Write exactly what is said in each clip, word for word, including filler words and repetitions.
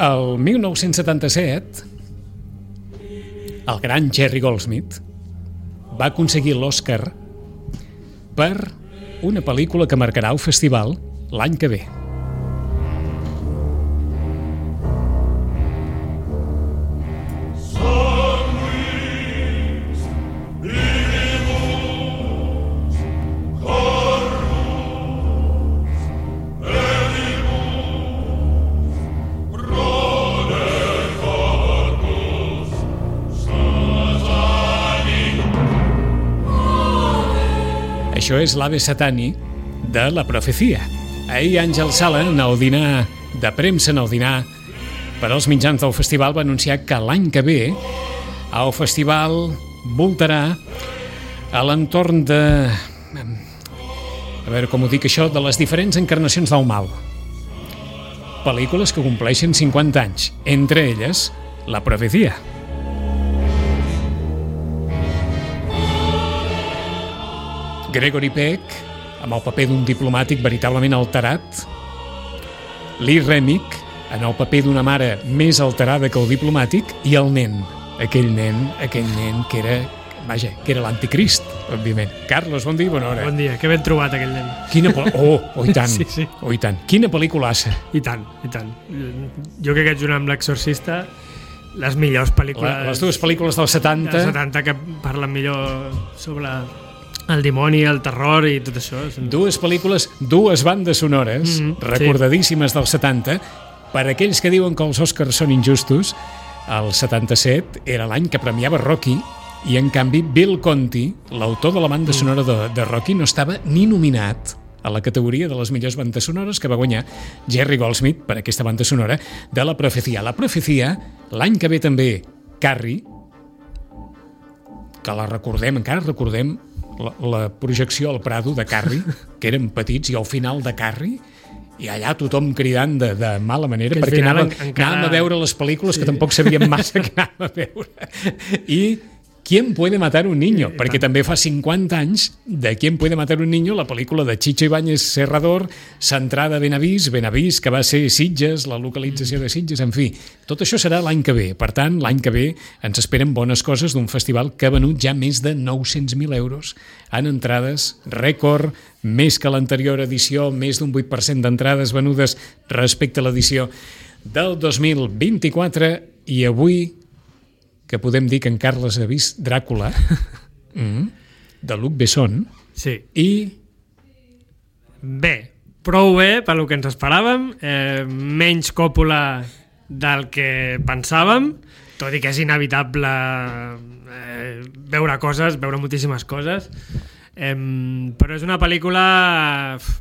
El mil nou-cents setanta-set, el gran Jerry Goldsmith va aconseguir l'Oscar per una pel·lícula que marcarà el festival l'any que ve. Això és l'Ave Satani de La Profecia. Ahir Àngel Sala, en el dinar de premsa, en el dinar per als mitjans del festival, va anunciar que l'any que ve el festival voltarà a l'entorn de... A veure com ho dic això, de les diferents encarnacions del mal. Pel·lícules que compleixen cinquanta anys, entre elles La Profecia. Gregory Peck, amb el paper d'un diplomàtic veritablement alterat. Lee Remick, en el paper d'una mare més alterada que el diplomàtic. I el nen, aquell nen, aquell nen que era, vaja, que era l'anticrist, òbviament. Carlos, bon dia i bona hora. Bon dia, que ben trobat aquell nen. Quina pel... Oh, oh, i tant, sí, sí. oh, i tant. Quina pel·lículassa. I tant, i tant. Jo crec que junt amb l'Exorcista, les millors pel·lícules... La, les dues pel·lícules dels setanta... Dels setanta que parlen millor sobre... el dimoni, el terror i tot això. Dues pel·lícules, dues bandes sonores, mm-hmm, recordadíssimes, sí, dels setanta. Per aquells que diuen que els Oscars són injustos, el setanta-set era l'any que premiava Rocky i, en canvi, Bill Conti, l'autor de la banda sonora de, de Rocky, no estava ni nominat a la categoria de les millors bandes sonores que va guanyar Jerry Goldsmith per aquesta banda sonora de La Profecia. La Profecia, l'any que ve també Carrie, que la recordem, encara recordem La, la projecció al Prado de Carrie, que érem petits, i al final de Carrie, i allà tothom cridant de, de mala manera, que perquè anàvem, encara... anàvem a veure les pel·lícules, sí, que tampoc sabíem massa que anàvem a veure. I ¿Quién puede matar un niño? Sí, perquè també fa cinquanta anys de ¿Quién puede matar un niño?, la pel·lícula de Chicho Ibáñez Serrador, centrada a Benavís, Benavís, que va ser Sitges, la localització de Sitges, en fi. Tot això serà l'any que ve. Per tant, l'any que ve ens esperen bones coses d'un festival que ha venut ja més de nou-cents mil euros en entrades, rècord, més que l'anterior edició, més d'un vuit per cent d'entrades venudes respecte a l'edició del dos mil vint-i-quatre, i avui que podem dir que en Carles ha vist Dràcula, mm, de Luc Besson. Sí. I... Bé, prou bé pel que ens esperàvem, eh, menys Coppola del que pensàvem, tot i que és inevitable eh, veure coses, veure moltíssimes coses, eh, però és una pel·lícula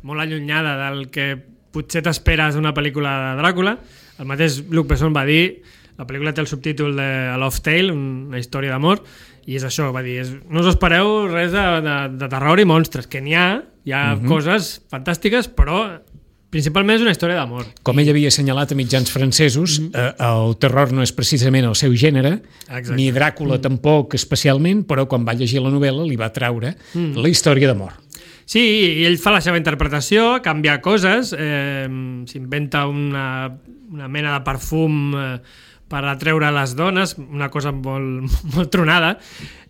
molt allunyada del que potser t'esperes d'una pel·lícula de Dràcula. El mateix Luc Besson va dir, la pel·lícula té el subtítol de A Love Tale, una història d'amor, i és això, va dir, és, no us espereu res de, de, de terror i monstres, que n'hi ha, hi ha uh-huh. coses fantàstiques, però principalment és una història d'amor. Com ell havia assenyalat a mitjans francesos, uh-huh. eh, el terror no és precisament el seu gènere, exacte, ni Dràcula uh-huh. tampoc especialment, però quan va llegir la novel·la li va traure uh-huh. la història d'amor. Sí, i ell fa la seva interpretació, canvia coses, eh, s'inventa una, una mena de perfum eh, per atreure les dones, una cosa molt, molt tronada.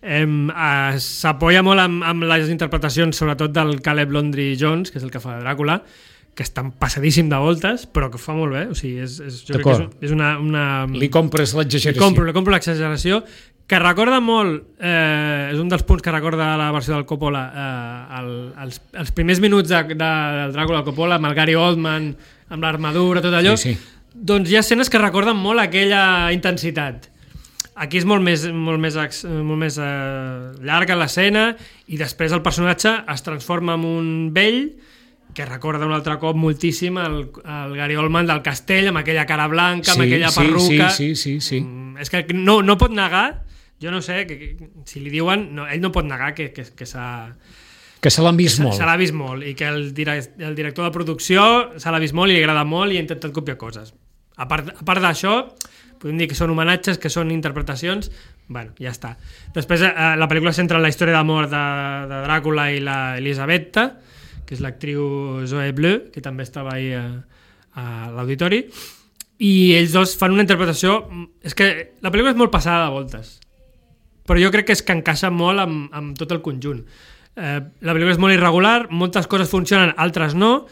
Eh, eh, s'apoya molt amb, amb les interpretacions, sobretot del Caleb Landry Jones, que és el que fa Dràcula, que està passadíssim de voltes, però que ho fa molt bé. O sigui, és, és, jo crec que és, és una, una... Li compres l'exageració. Li compro, li compro l'exageració, que recorda molt, eh, és un dels punts que recorda la versió del Coppola, eh, el, els, els primers minuts de, de, del Dràcula Coppola, amb el Gary Oldman, amb l'armadura, tot allò, sí, sí. Doncs hi ha escenes que recorden molt aquella intensitat. Aquí és molt més, molt més, molt més eh, llarga l'escena, i després el personatge es transforma en un vell que recorda un altre cop moltíssim el, el Gary Oldman del Castell, amb aquella cara blanca, sí, amb aquella sí, perruca. Sí, sí, sí, sí. És que no, no pot negar, jo no sé, que, que, si li diuen, no, ell no pot negar que, que, que s'ha... Que se l'han vist molt. Se l'ha vist molt, i que el, direct, el director de producció se l'ha vist molt i li agrada molt i ha intentat copiar coses. A part, a part d'això, podem dir que són homenatges, que són interpretacions, bueno, ja està. Després eh, la pel·lícula centra en la història d'amor de, de Dràcula i la Elisabetta, que és l'actriu Zoe Bleu, que també estava ahir a, a l'auditori, i ells dos fan una interpretació... És que la pel·lícula és molt passada de voltes, però jo crec que és que encaixa molt amb, amb tot el conjunt. Eh, la pel·lícula és molt irregular, moltes coses funcionen, altres no.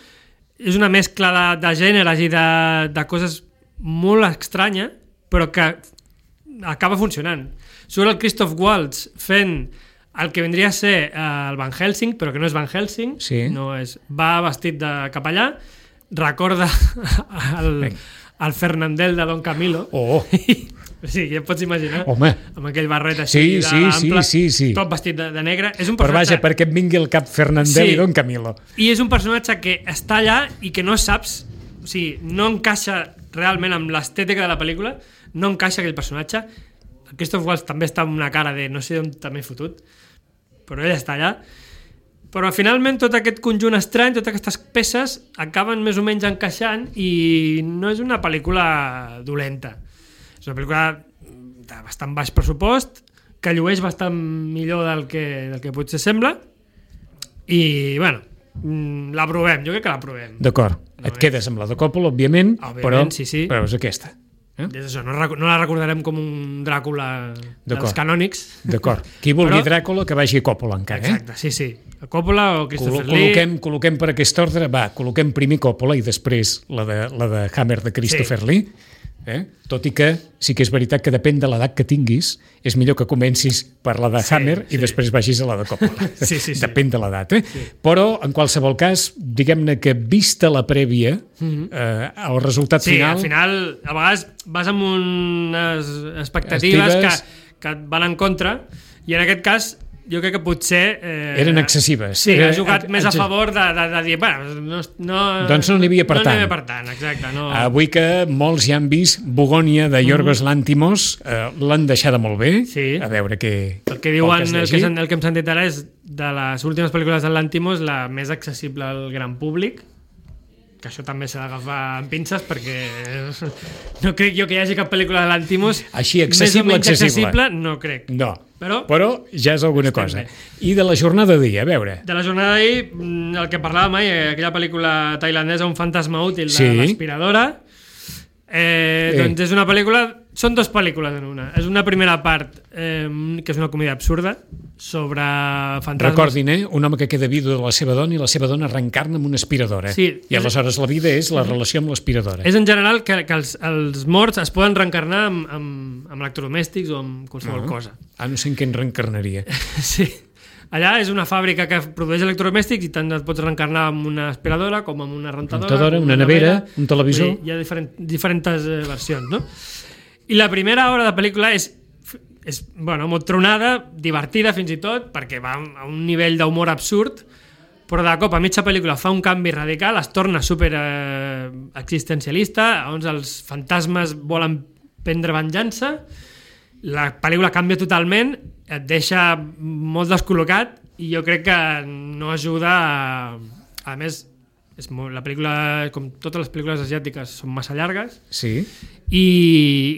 És una mescla de, de gèneres i de, de coses molt estranya, però que acaba funcionant. Surt el Christoph Waltz fent el que vendria a ser el Van Helsing, però que no és Van Helsing, sí. no és, va vestit de capellà, recorda el, el Fernandel de Don Camilo. Oh. Sí, ja et pots imaginar. Home. Amb aquell barret així sí, de sí, ample, sí, sí, sí. tot vestit de, de negre. És un però personatge... vaja, perquè et vingui el cap Fernandel sí. i Don Camilo. I és un personatge que està allà i que no saps, o sigui, no encaixa realment amb l'estètica de la pel·lícula, no encaixa aquell personatge. El Christoph Waltz també està amb una cara de no sé on també fotut, però ell està allà. Però finalment tot aquest conjunt estrany, totes aquestes peces acaben més o menys encaixant i no és una pel·lícula dolenta. És una pel·lícula de bastant baix pressupost, que llueix bastant millor del que, del que potser sembla i, bueno, l'aprovem, jo crec que l'aprovem. D'acord, no et és... quedes amb la de Coppola, òbviament, òbviament però, sí, sí. però és aquesta. Eh? És això, no, no la recordarem com un Dràcula dels canònics. D'acord. Qui vulgui però... Dràcula, que vagi a Coppola encara. Exacte, sí, sí. A Coppola o Christopher Col col·loquem, Lee. Col·loquem per aquest ordre, va, col·loquem primer Coppola i després la de, la de Hammer de Christopher sí. Lee. Eh? Tot i que sí que és veritat que depèn de l'edat que tinguis, és millor que comencis per la de sí, Hammer sí. i després vagis a la de Coppola. Sí, sí, sí. Depèn de l'edat. Eh? Sí. Però, en qualsevol cas, diguem-ne que vista la prèvia, mm-hmm. eh, el resultat sí, final... Sí, al final, a vegades vas amb unes expectatives Estives... que, que et van en contra, i en aquest cas jo crec que potser... Eh, eren excessives. Sí, Era, ha jugat a, més a favor de, de, de dir... Bueno, no, no, doncs no n'hi havia per no tant. No n'hi havia per tant, exacte. No. Avui que molts ja han vist Bogònia de Yorgos mm. Lanthimos, eh, l'han deixada molt bé. Sí. A veure què... El que diuen, el que, el que hem sentit ara és de les últimes pel·lícules de Lanthimos la més accessible al gran públic, que això també s'ha d'agafar amb pinces perquè no crec jo que hi hagi cap pel·lícula de Lanthimos així accessible, accessible. accessible, no crec. No, però, però ja és alguna cosa. Bé. I de la jornada d'ahir, a veure. De la jornada d'ahir, el que parlàvem ahir, aquella pel·lícula tailandesa, Un fantasma útil, de sí. l'aspiradora, eh, eh. doncs és una pel·lícula... Són dues pel·lícules en una. És una primera part, eh, que és una comèdia absurda, sobre fantasmes. Recordin, eh? Un home que queda vidu de la seva dona i la seva dona reencarna amb una aspiradora. Sí, I aleshores la vida és la relació amb l'aspiradora. És en general que, que els, els morts es poden reencarnar amb, amb, amb electrodomèstics o amb qualsevol ah. cosa. Ah, no sé en què en reencarnaria. Sí. Allà és una fàbrica que produeix electrodomèstics i tant et pots reencarnar amb una aspiradora com amb una rentadora, rentadora una, una nevera, nevera, un televisor. Hi ha diferent, diferents eh, versions, no? I la primera hora de pel·lícula és, és bueno, molt tronada, divertida fins i tot, perquè va a un nivell d'humor absurd, però de cop a mitja pel·lícula fa un canvi radical, es torna super eh, existencialista, on els fantasmes volen prendre venjança, la pel·lícula canvia totalment, et deixa molt descol·locat i jo crec que no ajuda a, a més és molt, la pel·lícula, com totes les pel·lícules asiàtiques, són massa llargues sí. i,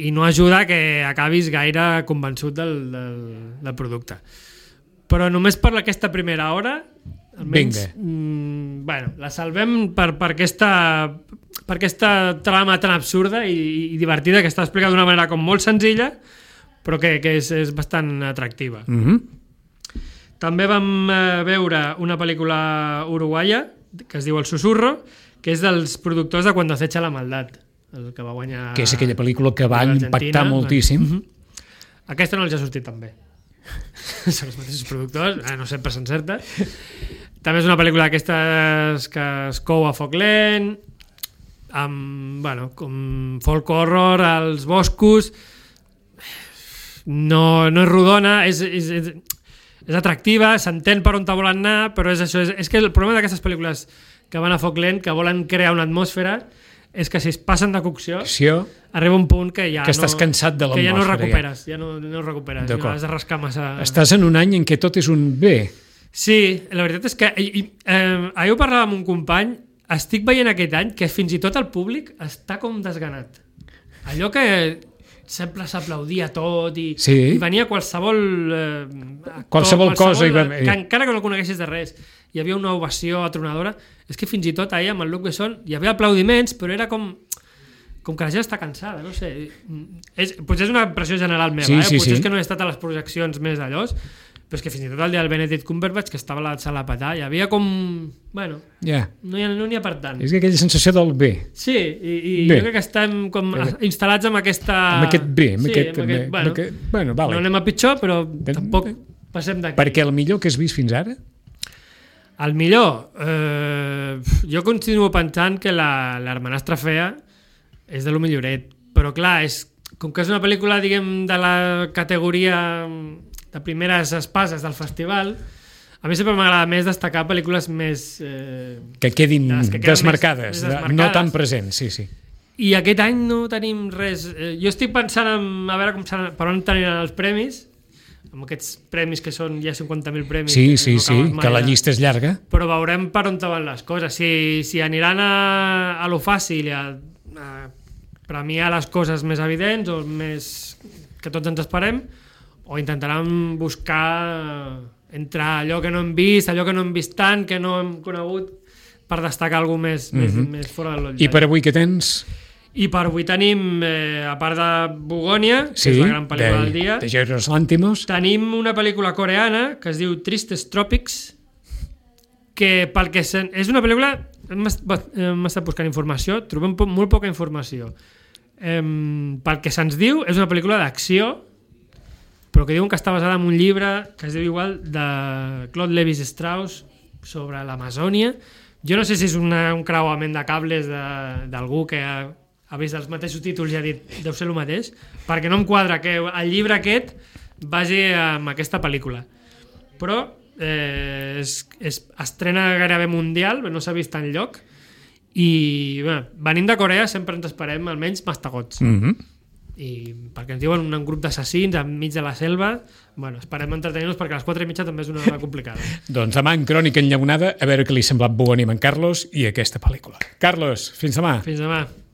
i no ajuda que acabis gaire convençut del, del, del producte. Però només per aquesta primera hora almenys, mm, bueno, la salvem per, per, aquesta, per aquesta trama tan absurda i, i divertida que està explicada d'una manera com molt senzilla però que, que és, és bastant atractiva. Mm-hmm. També vam eh, veure una pel·lícula uruguaia que es diu El Susurro, que és dels productors de Cuando acecha la maldad, el que va guanyar... Que és aquella pel·lícula que va impactar moltíssim. Uh-huh. Aquesta no els ha sortit tan bé. Són els mateixos productors, eh, no sempre s'encerta. També és una pel·lícula d'aquestes que es cou a foc lent, amb, bueno, com folk horror als boscos. No, no és rodona, és... és, és és atractiva, s'entén per on te volen anar, però és això, és, és que el problema d'aquestes pel·lícules que van a foc lent, que volen crear una atmosfera, és que si es passen de cocció, Cocció, arriba un punt que ja que estàs no, cansat de que ja no l'atmosfera, recuperes, ja, ja no, no recuperes, ja has de rascar massa... Estàs en un any en què tot és un bé. Sí, la veritat és que i, i, eh, ahir ho parlava amb un company, estic veient aquest any que fins i tot el públic està com desganat. Allò que sempre s'aplaudia tot i, sí. i venia qualsevol eh, actor, qualsevol, qualsevol cosa eh, va... que encara que no coneguessis de res hi havia una ovació atronadora. És que fins i tot ahir amb el Luc Besson hi havia aplaudiments, però era com com que la gent està cansada, no sé. És, potser és una impressió general meva, sí, eh? sí, potser sí. és que no he estat a les projeccions més d'allòs, però és que fins i tot el dia del Benedict Cumberbatch, que estava a la sala a petar, hi havia com... Bueno, yeah. no n'hi ha, no ha per tant. És aquella sensació del bé. Sí, i, i bé. jo crec que estem com instal·lats amb aquesta... Amb aquest bé. Amb sí, aquest, amb aquest, amb bueno, aquest, bueno, vale. No anem a pitjor, però tampoc passem d'aquí. Perquè el millor que has vist fins ara? El millor? Eh, jo continuo pensant que la, l'Hermanastra Fea és de lo milloret, però clar, és, com que és una pel·lícula, diguem, de la categoria de primeres espases del festival, a mi sempre m'agrada més destacar pel·lícules més... Eh, que quedin que desmarcades, més, més desmarcades, no tan presents, sí, sí. I aquest any no tenim res... Eh, jo estic pensant en, a veure com seran, per on teniran els premis, amb aquests premis que són ja cinquanta mil premis. Sí, que sí, no sí, que la llista és llarga. Però veurem per on van les coses. Si, si aniran a, a lo fàcil i a, a premiar les coses més evidents o més que tots ens esperem, o intentaran buscar entre allò que no hem vist, allò que no hem vist tant, que no hem conegut, per destacar alguna més, mm-hmm. més, més fora de l'otllall. I per avui què tens? I per avui tenim, eh, a part de Bugònia, que sí, és la gran pel·lícula de, del dia, de Yorgos Lanthimos, tenim una pel·lícula coreana que es diu Tristest Tropics, que pel que sen... és una pel·lícula... Hem estat buscant informació, trobem po molt poca informació. Eh, pel que se'ns diu, és una pel·lícula d'acció, però que diuen que està basada en un llibre que es diu igual de Claude Lévi-Strauss sobre l'Amazònia. Jo no sé si és una, un creuament de cables d'algú que ha, ha vist els mateixos títols i ha dit deu ser el mateix, perquè no em quadra que el llibre aquest vagi amb aquesta pel·lícula. Però eh, es, es estrena gairebé mundial, no s'ha vist enlloc, i bé, venint de Corea sempre ens esperem almenys mastegots. Mm-hmm. I perquè ens diuen un grup d'assassins enmig de la selva, bueno, esperem entretenir-nos perquè a les quatre i mitja també és una hora complicada. Doncs demà en Crònica Enllaunada, a veure què li ha semblat Bugònia amb en Carlos i aquesta pel·lícula. Carlos, fins demà. Fins demà.